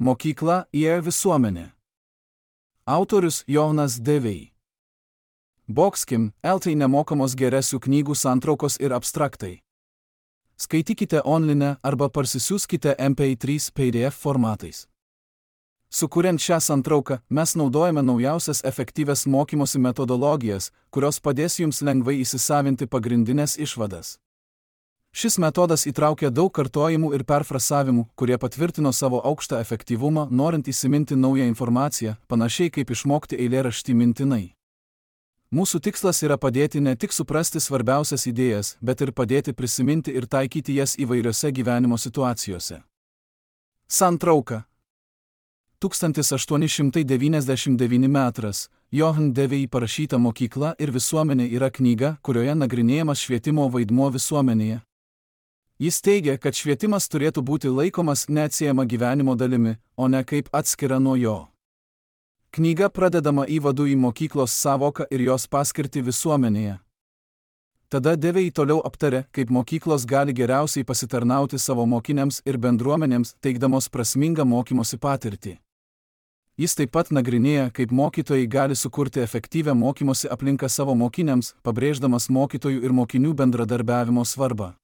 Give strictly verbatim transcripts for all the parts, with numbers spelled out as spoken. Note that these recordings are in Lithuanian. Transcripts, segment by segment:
Mokykla įėjo visuomenė. Autorius Jonas Devei. Boxkim, eltai nemokamos geresių knygų santraukos ir abstraktai. Skaitykite online arba parsisiųskite M P trys P D F formatais. Sukuriant šią santrauką, mes naudojame naujausias efektyvias mokymosi metodologijas, kurios padės jums lengvai įsisavinti pagrindinės išvadas. Šis metodas įtraukia daug kartojimų ir perfrasavimų, kurie patvirtino savo aukštą efektyvumą, norint įsiminti naują informaciją, panašiai kaip išmokti eilėraštį mintinai. Mūsų tikslas yra padėti ne tik suprasti svarbiausias idėjas, bet ir padėti prisiminti ir taikyti jas įvairiose gyvenimo situacijose. Santrauka. tūkstantis aštuoni šimtai devyniasdešimt devyni metras. Johan Devei parašyta Mokykla ir visuomenė yra knyga, kurioje nagrinėjamas švietimo vaidmuo visuomenėje. Jis teigia, kad švietimas turėtų būti laikomas neatsiejama gyvenimo dalimi, o ne kaip atskira nuo jo. Knyga pradedama įvadu į mokyklos sąvoką ir jos paskirtį visuomenėje. Tada Devei toliau aptarė, kaip mokyklos gali geriausiai pasitarnauti savo mokiniams ir bendruomenėms, teikdamos prasmingą mokymosi patirtį. Jis taip pat nagrinėja, kaip mokytojai gali sukurti efektyvią mokymosi aplinką savo mokiniams, pabrėždamas mokytojų ir mokinių bendradarbiavimo svarbą.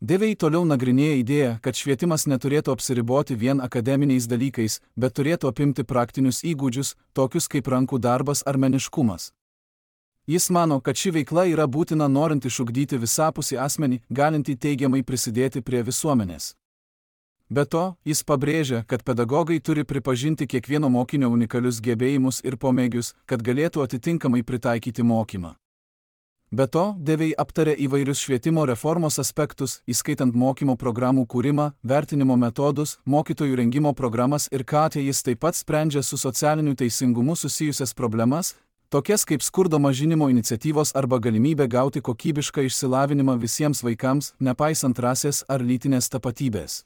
Devei toliau nagrinėja idėją, kad švietimas neturėtų apsiriboti vien akademiniais dalykais, bet turėtų apimti praktinius įgūdžius, tokius kaip rankų darbas ar meniškumas. Jis mano, kad ši veikla yra būtina norint išugdyti visapusį asmenį, galintį teigiamai prisidėti prie visuomenės. Be to, jis pabrėžia, kad pedagogai turi pripažinti kiekvieno mokinio unikalius gebėjimus ir pomėgius, kad galėtų atitinkamai pritaikyti mokymą. Be to, Devei aptarė įvairius švietimo reformos aspektus, įskaitant mokymo programų kūrimą, vertinimo metodus, mokytojų rengimo programas ir ką jis taip pat sprendžia su socialiniu teisingumu susijusias problemas, tokias kaip skurdo mažinimo iniciatyvos arba galimybė gauti kokybišką išsilavinimą visiems vaikams, nepaisant rasės ar lytinės tapatybės.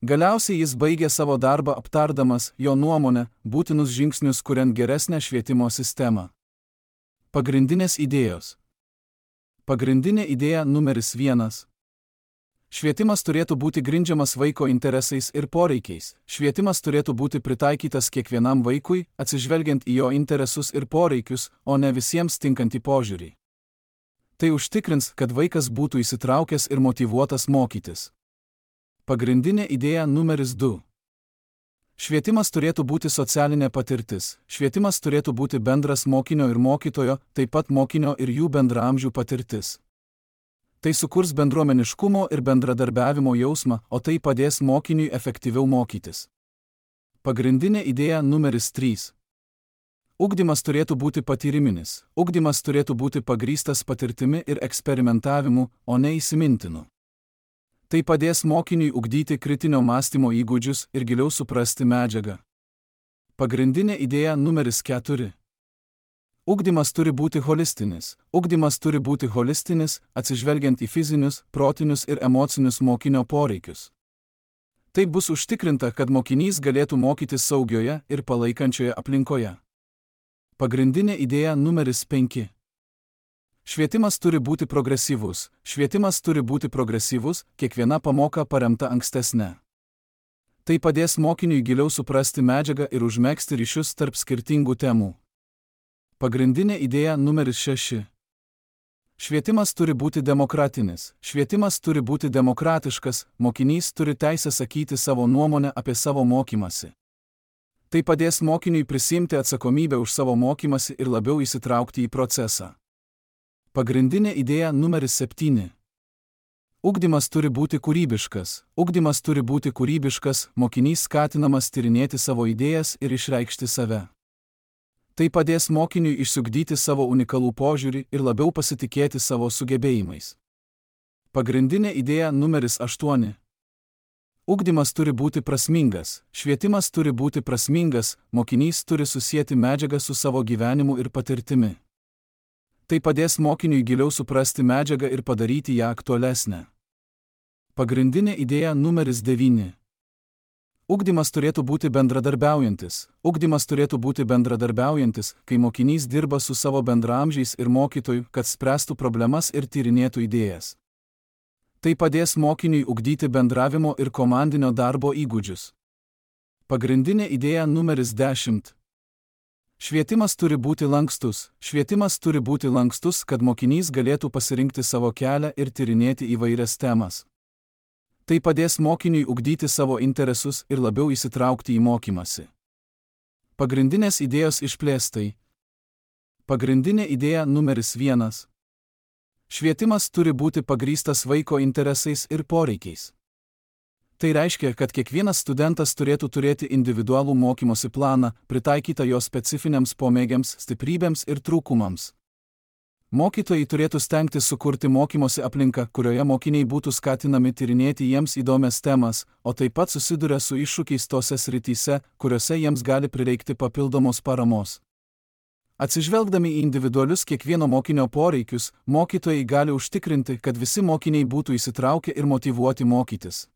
Galiausiai jis baigė savo darbą aptardamas, jo nuomonę, būtinus žingsnius kuriant geresnę švietimo sistemą. Pagrindinės idėjos. Pagrindinė idėja numeris vienas. Švietimas turėtų būti grindžiamas vaiko interesais ir poreikiais. Švietimas turėtų būti pritaikytas kiekvienam vaikui, atsižvelgiant į jo interesus ir poreikius, o ne visiems tinkantį požiūrį. Tai užtikrins, kad vaikas būtų įsitraukęs ir motyvuotas mokytis. Pagrindinė idėja numeris du. Švietimas turėtų būti socialinė patirtis. Švietimas turėtų būti bendras mokinio ir mokytojo, taip pat mokinio ir jų bendraamžių patirtis. Tai sukurs bendruomeniškumo ir bendradarbiavimo jausmą, o tai padės mokiniui efektyviau mokytis. Pagrindinė idėja numeris trys. Ugdymas turėtų būti patyriminis. Ugdymas turėtų būti pagrįstas patirtimi ir eksperimentavimu, o ne įsimintinu. Tai padės mokiniui ugdyti kritinio mąstymo įgūdžius ir giliau suprasti medžiagą. Pagrindinė idėja numeris keturi. Ugdymas turi būti holistinis. Ugdymas turi būti holistinis, atsižvelgiant į fizinius, protinius ir emocinius mokinio poreikius. Tai bus užtikrinta, kad mokinys galėtų mokytis saugioje ir palaikančioje aplinkoje. Pagrindinė idėja numeris penki. Švietimas turi būti progresyvus. Švietimas turi būti progresyvus, kiekviena pamoka paremta ankstesne. Tai padės mokiniui giliau suprasti medžiagą ir užmegzti ryšius tarp skirtingų temų. Pagrindinė idėja numeris šeši. Švietimas turi būti demokratinis. Švietimas turi būti demokratiškas, mokinys turi teisę sakyti savo nuomonę apie savo mokymasi. Tai padės mokiniui prisiimti atsakomybę už savo mokymasi ir labiau įsitraukti į procesą. Pagrindinė idėja numeris septyni. Ugdymas turi būti kūrybiškas. Ugdymas turi būti kūrybiškas, mokinys skatinamas tyrinėti savo idėjas ir išreikšti save. Tai padės mokiniui išsiugdyti savo unikalų požiūrį ir labiau pasitikėti savo sugebėjimais. Pagrindinė idėja numeris aštuoni. Ugdymas turi būti prasmingas. Švietimas turi būti prasmingas, mokinys turi susieti medžiagą su savo gyvenimu ir patirtimi. Tai padės mokiniui giliau suprasti medžiagą ir padaryti ją aktualesnę. Pagrindinė idėja numeris devyni. Ugdymas turėtų būti bendradarbiaujantis. Ugdymas turėtų būti bendradarbiaujantis, kai mokinys dirba su savo bendraamžiais ir mokytoju, kad spręstų problemas ir tyrinėtų idėjas. Tai padės mokiniui ugdyti bendravimo ir komandinio darbo įgūdžius. Pagrindinė idėja numeris dešimt. Švietimas turi būti lankstus. Švietimas turi būti lankstus, kad mokinys galėtų pasirinkti savo kelią ir tyrinėti įvairias temas. Tai padės mokiniui ugdyti savo interesus ir labiau įsitraukti į mokymąsi. Pagrindinės idėjos išplėstai. Pagrindinė idėja numeris vienas. Švietimas turi būti pagrįstas vaiko interesais ir poreikiais. Tai reiškia, kad kiekvienas studentas turėtų turėti individualų mokymosi planą, pritaikytą jo specifiniams pomėgiams, stiprybėms ir trūkumams. Mokytojai turėtų stengtis sukurti mokymosi aplinką, kurioje mokiniai būtų skatinami tyrinėti jiems įdomias temas, o taip pat susiduria su iššūkiais tose srityse, kuriuose jiems gali prireikti papildomos paramos. Atsižvelgdami į individualius kiekvieno mokinio poreikius, mokytojai gali užtikrinti, kad visi mokiniai būtų įsitraukę ir motyvuoti mokytis.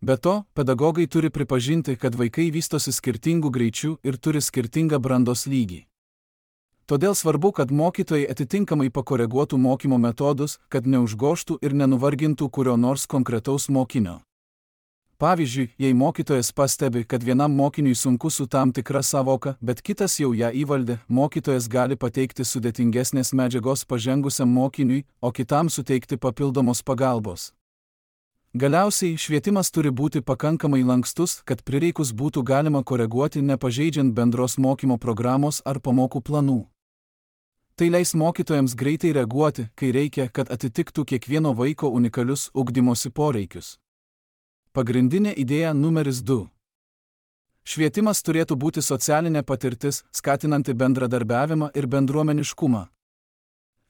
Be to, pedagogai turi pripažinti, kad vaikai vystosi skirtingų greičių ir turi skirtingą brandos lygį. Todėl svarbu, kad mokytojai atitinkamai pakoreguotų mokymo metodus, kad neužgožtų ir nenuvargintų kurio nors konkretaus mokinio. Pavyzdžiui, jei mokytojas pastebi, kad vienam mokiniui sunku su tam tikra sąvoka, bet kitas jau ją įvaldė, mokytojas gali pateikti sudėtingesnės medžiagos pažengusiam mokiniui, o kitam suteikti papildomos pagalbos. Galiausiai, švietimas turi būti pakankamai lankstus, kad prireikus būtų galima koreguoti nepažeidžiant bendros mokymo programos ar pamokų planų. Tai leis mokytojams greitai reaguoti, kai reikia, kad atitiktų kiekvieno vaiko unikalius ugdymosi poreikius. Pagrindinė idėja numeris du. Švietimas turėtų būti socialinė patirtis, skatinanti bendradarbiavimą ir bendruomeniškumą.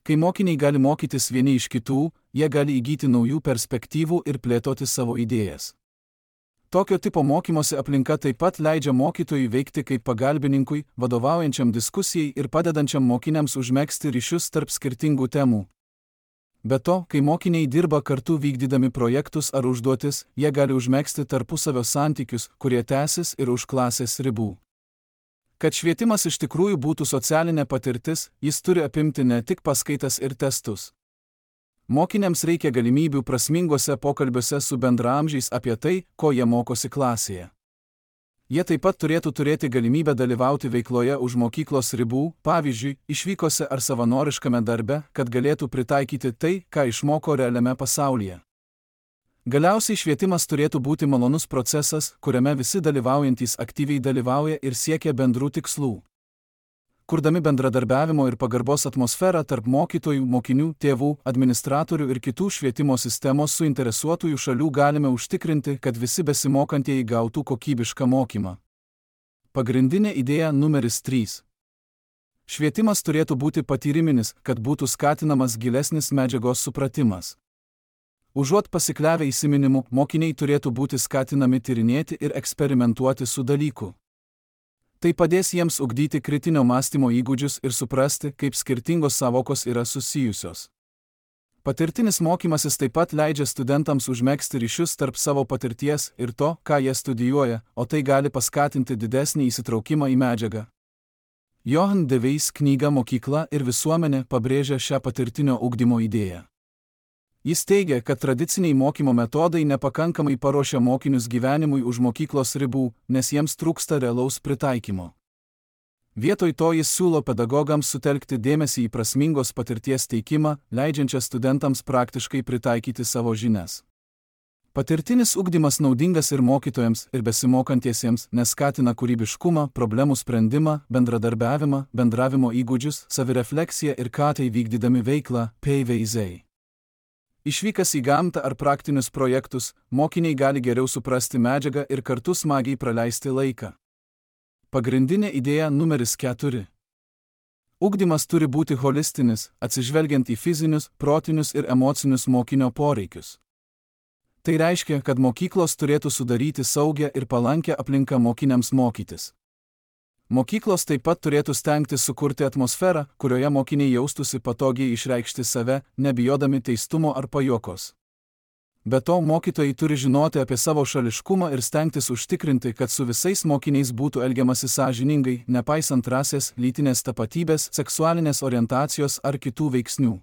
Kai mokiniai gali mokytis vieni iš kitų, jie gali įgyti naujų perspektyvų ir plėtoti savo idėjas. Tokio tipo mokymosi aplinka taip pat leidžia mokytojui veikti kaip pagalbininkui, vadovaujančiam diskusijai ir padedančiam mokiniams užmegzti ryšius tarp skirtingų temų. Be to, kai mokiniai dirba kartu vykdydami projektus ar užduotis, jie gali užmegzti tarpusavio santykius, kurie tęsis ir už klasės ribų. Kad švietimas iš tikrųjų būtų socialinė patirtis, jis turi apimti ne tik paskaitas ir testus. Mokiniams reikia galimybių prasminguose pokalbiuose su bendraamžiais apie tai, ko jie mokosi klasėje. Jie taip pat turėtų turėti galimybę dalyvauti veikloje už mokyklos ribų, pavyzdžiui, išvykose ar savanoriškame darbe, kad galėtų pritaikyti tai, ką išmoko realiame pasaulyje. Galiausiai švietimas turėtų būti malonus procesas, kuriame visi dalyvaujantys aktyviai dalyvauja ir siekia bendrų tikslų. Kurdami bendradarbiavimo ir pagarbos atmosferą tarp mokytojų, mokinių, tėvų, administratorių ir kitų švietimo sistemos suinteresuotųjų šalių galime užtikrinti, kad visi besimokantieji gautų kokybišką mokymą. Pagrindinė idėja numeris trys. Švietimas turėtų būti patyriminis, kad būtų skatinamas gilesnis medžiagos supratimas. Užuot pasikliavę įsiminimu, mokiniai turėtų būti skatinami tyrinėti ir eksperimentuoti su dalyku. Tai padės jiems ugdyti kritinio mąstymo įgūdžius ir suprasti, kaip skirtingos sąvokos yra susijusios. Patirtinis mokymasis taip pat leidžia studentams užmegzti ryšius tarp savo patirties ir to, ką jie studijuoja, o tai gali paskatinti didesnį įsitraukimą į medžiagą. Johan de Veis knyga Mokykla ir visuomenė pabrėžia šią patirtinio ugdymo idėją. Jis teigia, kad tradiciniai mokymo metodai nepakankamai paruošia mokinius gyvenimui už mokyklos ribų, nes jiems trūksta realaus pritaikymo. Vietoj to jis siūlo pedagogams sutelkti dėmesį į prasmingos patirties teikimą, leidžiančią studentams praktiškai pritaikyti savo žinias. Patirtinis ugdymas naudingas ir mokytojams, ir besimokantiesiems, nes skatina kūrybiškumą, problemų sprendimą, bendradarbiavimą, bendravimo įgūdžius, savirefleksiją ir ką tai vykdydami veiklą, P V Z. Išvykas į gamtą ar praktinius projektus, mokiniai gali geriau suprasti medžiagą ir kartu smagiai praleisti laiką. Pagrindinė idėja numeris keturi. Ugdymas turi būti holistinis, atsižvelgiant į fizinius, protinius ir emocinius mokinio poreikius. Tai reiškia, kad mokyklos turėtų sudaryti saugią ir palankę aplinką mokiniams mokytis. Mokyklos taip pat turėtų stengtis sukurti atmosferą, kurioje mokiniai jaustųsi patogiai išreikšti save, nebijodami teistumo ar pajuokos. Be to, mokytojai turi žinoti apie savo šališkumą ir stengtis užtikrinti, kad su visais mokiniais būtų elgiamasi sąžiningai, nepaisant rasės, lytinės tapatybės, seksualinės orientacijos ar kitų veiksnių.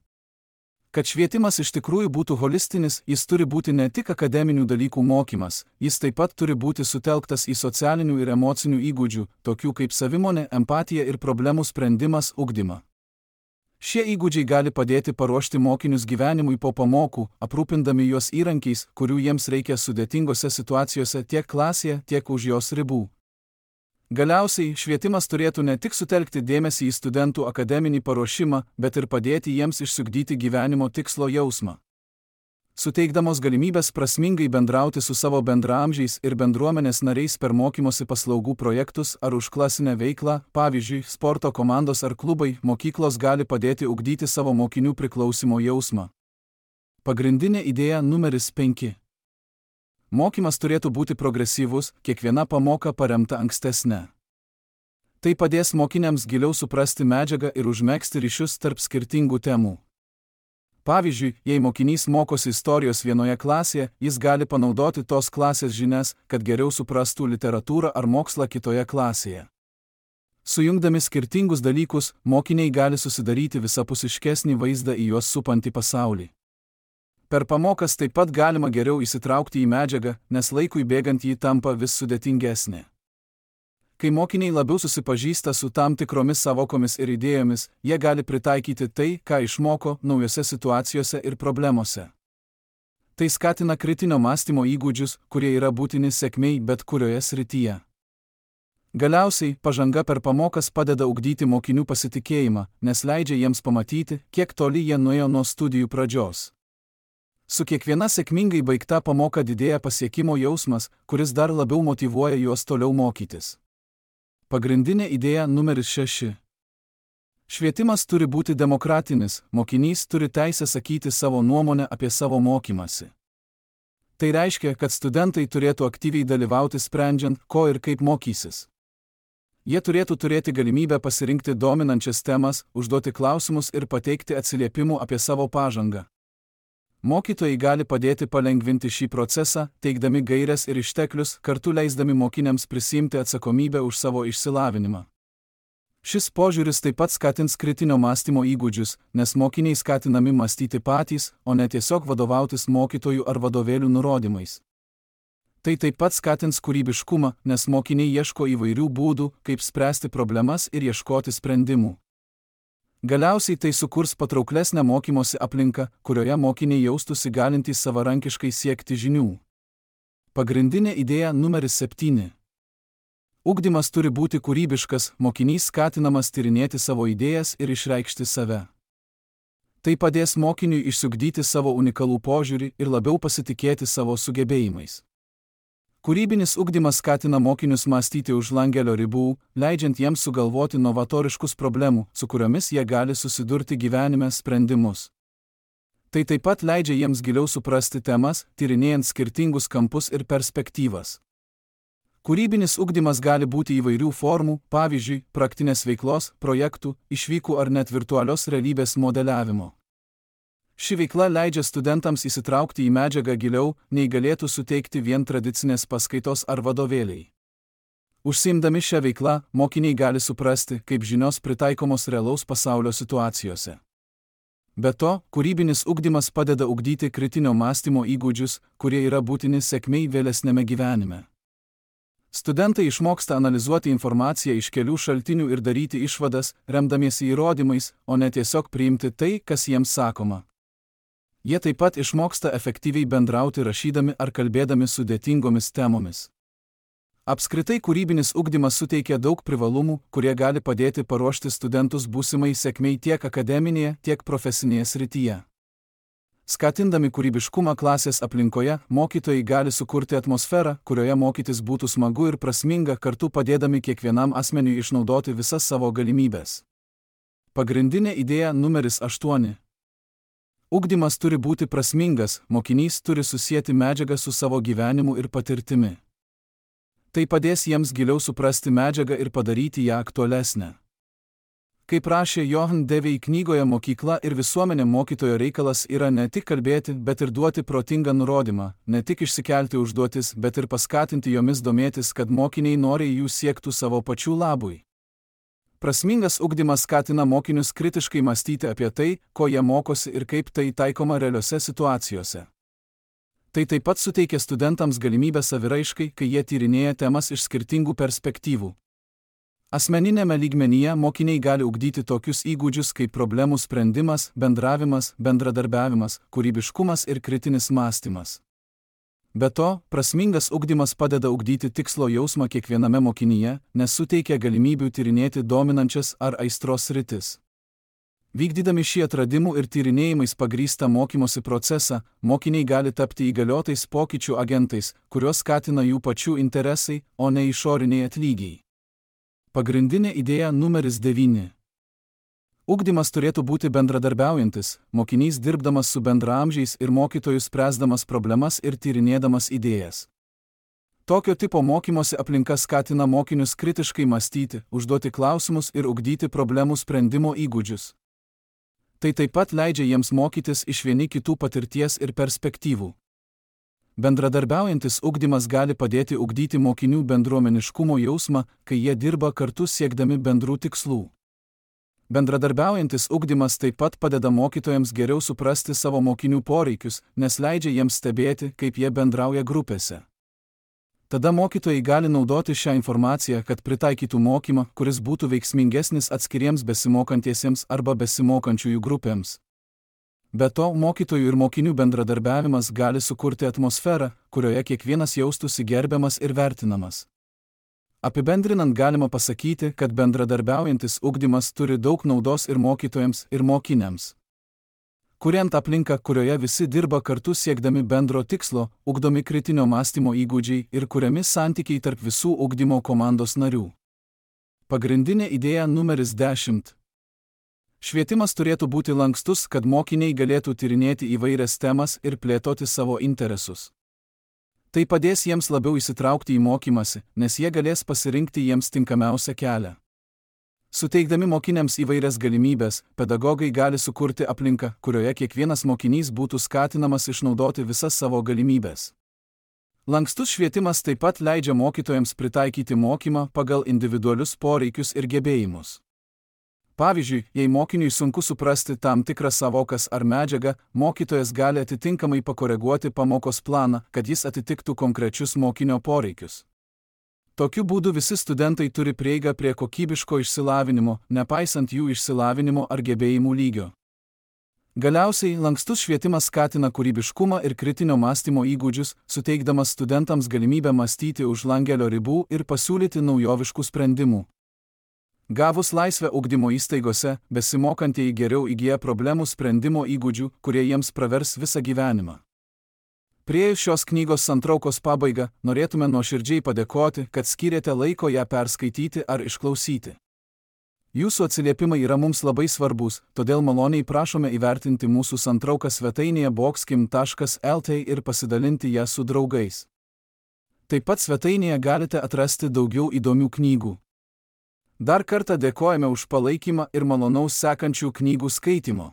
Kad švietimas iš tikrųjų būtų holistinis, jis turi būti ne tik akademinių dalykų mokymas, jis taip pat turi būti sutelktas į socialinių ir emocinių įgūdžių, tokių kaip savimonė, empatija ir problemų sprendimas, ugdymą. Šie įgūdžiai gali padėti paruošti mokinius gyvenimui po pamokų, aprūpindami juos įrankiais, kurių jiems reikia sudėtingose situacijose tiek klasėje, tiek už jos ribų. Galiausiai, švietimas turėtų ne tik sutelkti dėmesį į studentų akademinį paruošimą, bet ir padėti jiems išsiugdyti gyvenimo tikslo jausmą. Suteikdamos galimybės prasmingai bendrauti su savo bendraamžiais ir bendruomenės nariais per mokymosi paslaugų projektus ar užklasinę veiklą, pavyzdžiui, sporto komandos ar klubai, mokyklos gali padėti ugdyti savo mokinių priklausimo jausmą. Pagrindinė idėja numeris penki. Mokymas turėtų būti progresyvus, kiekviena pamoka paremta ankstesne. Tai padės mokiniams giliau suprasti medžiagą ir užmegzti ryšius tarp skirtingų temų. Pavyzdžiui, jei mokinys mokosi istorijos vienoje klasėje, jis gali panaudoti tos klasės žinias, kad geriau suprastų literatūrą ar mokslą kitoje klasėje. Sujungdami skirtingus dalykus, mokiniai gali susidaryti visapusiškesnį vaizdą į juos supantį pasaulį. Per pamokas taip pat galima geriau įsitraukti į medžiagą, nes laikui bėgant jį tampa vis sudėtingesnė. Kai mokiniai labiau susipažįsta su tam tikromis savokomis ir idėjomis, jie gali pritaikyti tai, ką išmoko, naujose situacijose ir problemose. Tai skatina kritinio mąstymo įgūdžius, kurie yra būtini sėkmei bet kurioje srityje. Galiausiai, pažanga per pamokas padeda ugdyti mokinių pasitikėjimą, nes leidžia jiems pamatyti, kiek toli jie nuėjo nuo studijų pradžios. Su kiekviena sėkmingai baigta pamoka didėja pasiekimo jausmas, kuris dar labiau motyvuoja juos toliau mokytis. Pagrindinė idėja numeris šeši. Švietimas turi būti demokratinis, mokinys turi teisę sakyti savo nuomonę apie savo mokymąsi. Tai reiškia, kad studentai turėtų aktyviai dalyvauti sprendžiant, ko ir kaip mokysis. Jie turėtų turėti galimybę pasirinkti dominančias temas, užduoti klausimus ir pateikti atsiliepimų apie savo pažangą. Mokytojai gali padėti palengvinti šį procesą, teikdami gaires ir išteklius, kartu leisdami mokiniams prisiimti atsakomybę už savo išsilavinimą. Šis požiūris taip pat skatins kritinio mąstymo įgūdžius, nes mokiniai skatinami mąstyti patys, o ne tiesiog vadovautis mokytojų ar vadovėlių nurodymais. Tai taip pat skatins kūrybiškumą, nes mokiniai ieško įvairių būdų, kaip spręsti problemas ir ieškoti sprendimų. Galiausiai tai sukurs patrauklesnę mokymosi aplinką, kurioje mokiniai jaustųsi galintys savarankiškai siekti žinių. Pagrindinė idėja numeris septyni. Ugdymas turi būti kūrybiškas, mokinys skatinamas tyrinėti savo idėjas ir išreikšti save. Tai padės mokiniui išsiugdyti savo unikalų požiūrį ir labiau pasitikėti savo sugebėjimais. Kūrybinis ugdymas skatina mokinius mąstyti už langelio ribų, leidžiant jiems sugalvoti novatoriškus problemų, su kuriomis jie gali susidurti gyvenime sprendimus. Tai taip pat leidžia jiems giliau suprasti temas, tyrinėjant skirtingus kampus ir perspektyvas. Kūrybinis ugdymas gali būti įvairių formų, pavyzdžiui, praktinės veiklos, projektų, išvykų ar net virtualios realybės modeliavimo. Ši veikla leidžia studentams įsitraukti į medžiagą giliau, nei galėtų suteikti vien tradicinės paskaitos ar vadovėliai. Užsiimdami šią veiklą, mokiniai gali suprasti, kaip žinios pritaikomos realaus pasaulio situacijose. Be to, kūrybinis ugdymas padeda ugdyti kritinio mąstymo įgūdžius, kurie yra būtini sėkmei vėlesnėme gyvenime. Studentai išmoksta analizuoti informaciją iš kelių šaltinių ir daryti išvadas, remdamiesi įrodymais, o ne tiesiog priimti tai, kas jiems sakoma. Jie taip pat išmoksta efektyviai bendrauti rašydami ar kalbėdami sudėtingomis temomis. Apskritai kūrybinis ugdymas suteikia daug privalumų, kurie gali padėti paruošti studentus būsimai sėkmei tiek akademinėje, tiek profesinėje srityje. Skatindami kūrybiškumą klasės aplinkoje, mokytojai gali sukurti atmosferą, kurioje mokytis būtų smagu ir prasminga, kartu padėdami kiekvienam asmeniui išnaudoti visas savo galimybes. Pagrindinė idėja numeris aštuoni. Ugdymas turi būti prasmingas, mokinys turi susieti medžiagą su savo gyvenimu ir patirtimi. Tai padės jiems giliau suprasti medžiagą ir padaryti ją aktualesnę. Kaip rašė Johan Devey knygoje Mokykla ir visuomenė, mokytojo reikalas yra ne tik kalbėti, bet ir duoti protingą nurodymą, ne tik išsikelti užduotis, bet ir paskatinti jomis domėtis, kad mokiniai noriai jų siektų savo pačių labui. Prasmingas ugdymas skatina mokinius kritiškai mąstyti apie tai, ko jie mokosi ir kaip tai taikoma realiose situacijose. Tai taip pat suteikia studentams galimybę saviraiškai, kai jie tyrinėja temas iš skirtingų perspektyvų. Asmeninėme lygmenyje mokiniai gali ugdyti tokius įgūdžius kaip problemų sprendimas, bendravimas, bendradarbiavimas, kūrybiškumas ir kritinis mąstymas. Be to, prasmingas ugdymas padeda ugdyti tikslo jausmą kiekviename mokinyje, nes suteikia galimybių tyrinėti dominančias ar aistros sritis. Vykdydami šį atradimų ir tyrinėjimais pagrįstą mokymosi procesą, mokiniai gali tapti įgaliotais pokyčių agentais, kuriuos skatina jų pačių interesai, o ne išoriniai atlygiai. Pagrindinė idėja numeris devyni. Ugdymas turėtų būti bendradarbiaujantis, mokinys dirbdamas su bendraamžiais ir mokytojus spręsdamas problemas ir tyrinėdamas idėjas. Tokio tipo mokymosi aplinka skatina mokinius kritiškai mąstyti, užduoti klausimus ir ugdyti problemų sprendimo įgūdžius. Tai taip pat leidžia jiems mokytis iš vieni kitų patirties ir perspektyvų. Bendradarbiaujantis ugdymas gali padėti ugdyti mokinių bendruomeniškumo jausmą, kai jie dirba kartu siekdami bendrų tikslų. Bendradarbiaujantis ugdymas taip pat padeda mokytojams geriau suprasti savo mokinių poreikius, nes leidžia jiems stebėti, kaip jie bendrauja grupėse. Tada mokytojai gali naudoti šią informaciją, kad pritaikytų mokymą, kuris būtų veiksmingesnis atskiriems besimokantiesiems arba besimokančiųjų grupėms. Be to, mokytojų ir mokinių bendradarbiavimas gali sukurti atmosferą, kurioje kiekvienas jaustųsi gerbiamas ir vertinamas. Apibendrinant galima pasakyti, kad bendradarbiaujantis ugdymas turi daug naudos ir mokytojams, ir mokiniams. Kuriant aplinką, kurioje visi dirba kartu siekdami bendro tikslo, ugdomi kritinio mąstymo įgūdžiai ir kuriami santykiai tarp visų ugdymo komandos narių. Pagrindinė idėja numeris dešimt. Švietimas turėtų būti lankstus, kad mokiniai galėtų tyrinėti įvairias temas ir plėtoti savo interesus. Tai padės jiems labiau įsitraukti į mokymąsi, nes jie galės pasirinkti jiems tinkamiausią kelią. Suteikdami mokiniams įvairias galimybės, pedagogai gali sukurti aplinką, kurioje kiekvienas mokinys būtų skatinamas išnaudoti visas savo galimybės. Lankstus švietimas taip pat leidžia mokytojams pritaikyti mokymą pagal individualius poreikius ir gebėjimus. Pavyzdžiui, jei mokiniui sunku suprasti tam tikras savokas ar medžiagą, mokytojas gali atitinkamai pakoreguoti pamokos planą, kad jis atitiktų konkrečius mokinio poreikius. Tokiu būdu visi studentai turi prieigą prie kokybiško išsilavinimo, nepaisant jų išsilavinimo ar gebėjimų lygio. Galiausiai, lankstus švietimas skatina kūrybiškumą ir kritinio mąstymo įgūdžius, suteikdamas studentams galimybę mąstyti už langelio ribų ir pasiūlyti naujoviškų sprendimų. Gavus laisvę ugdymo įstaigose, besimokantieji geriau įgyja problemų sprendimo įgūdžių, kurie jiems pravers visą gyvenimą. Priėjus šios knygos santraukos pabaigą, norėtume nuoširdžiai padėkoti, kad skyrėte laiko ją perskaityti ar išklausyti. Jūsų atsiliepimai yra mums labai svarbus, todėl maloniai prašome įvertinti mūsų santrauką svetainėje boxkim taškas el tė ir pasidalinti ją su draugais. Taip pat svetainėje galite atrasti daugiau įdomių knygų. Dar kartą dėkojame už palaikymą ir malonaus sekančių knygų skaitimo.